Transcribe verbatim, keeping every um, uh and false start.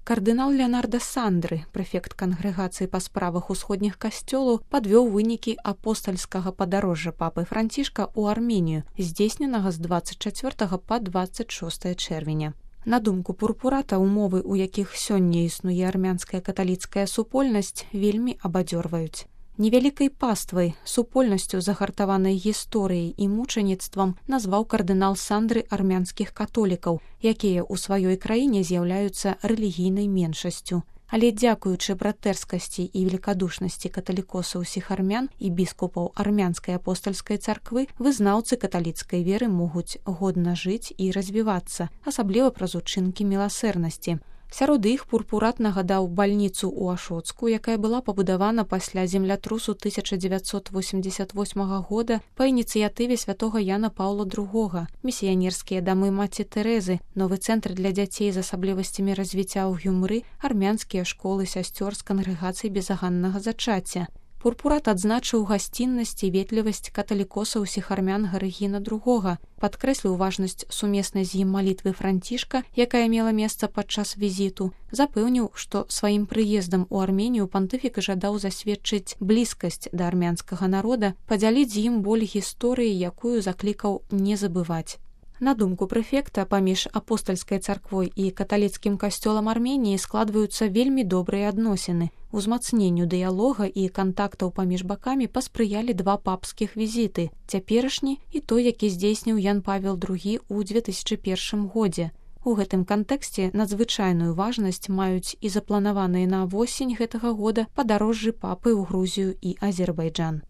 Кардынал Леонардо Сандры, прэфект кангрэгацыі па справах усходніх касцёлаў, падвёў вынікі апостальскага падарожжа папы Францішка ў Арменію, здзейсненага з дваццаць чацвёртага па дваццаць шостае чэрвеня. На думку пурпурата, умовы, у якіх сёння існуе армянская каталіцкая супольнасць, вельмі абадзёрваюць. Невялікай паствай, супольнасцю загартаванай гісторыяй і мучаніцтвам назваў кардынал Сандры армянскіх католікаў, якія ў сваёй краіне з'яўляюцца рэлігійнай меншасцю. Але дзякуючы братэрскасці і велікадушнасці каталікосаў усіх армян і біскупаў армянскай апостальскай царквы, вызнаўцы каталіцкай веры могуць годна жыць і развівацца, асабліва праз учынкі міласэрнасці. Сярод іх пурпурат нагадаў бальніцу ў Ашоцку, якая была пабудавана пасля землятрусу тысяча дзевяцьсот восемьдесят восьмага года па ініцыятыве святога Яна Паўла другога, місіянерскія дамы маці Тэрэзы, новы цэнтр для дзяцей з асаблівасцямі развіцця ў Гюмры, армянскія школы сясцёр з кангрэгацый безаганнага зачацця. Пурпурат адзначыў гасціннасць і ветлівасць каталікоса ўсіх армян Гарыгіна другога, падкрэсліў важнасць сумеснай з ім малітвы Францішка, якая мела месца падчас візіту, запэўніў, што сваім прыездам у Арменію пантыфік жадаў засведчыць блізкасць да армянскага народа, падзяліць з ім боль гісторыі, якую заклікаў не забываць. На думку прэфекта, паміж апостальскай царквой і каталіцкім касцёлам Арменіі складваюцца вельмі добрыя адносіны. Узмацненню дыялога і кантактаў паміж бакамі паспрыялі два папскіх візіты, цяперашні і той, які здзейсніў Ян Павел другі ў дзве тысячы першым годзе. У гэтым кантэксце надзвычайную важнасць маюць і запланаваныя на восень гэтага года падарожжы папы ў Грузію і Азербайджан.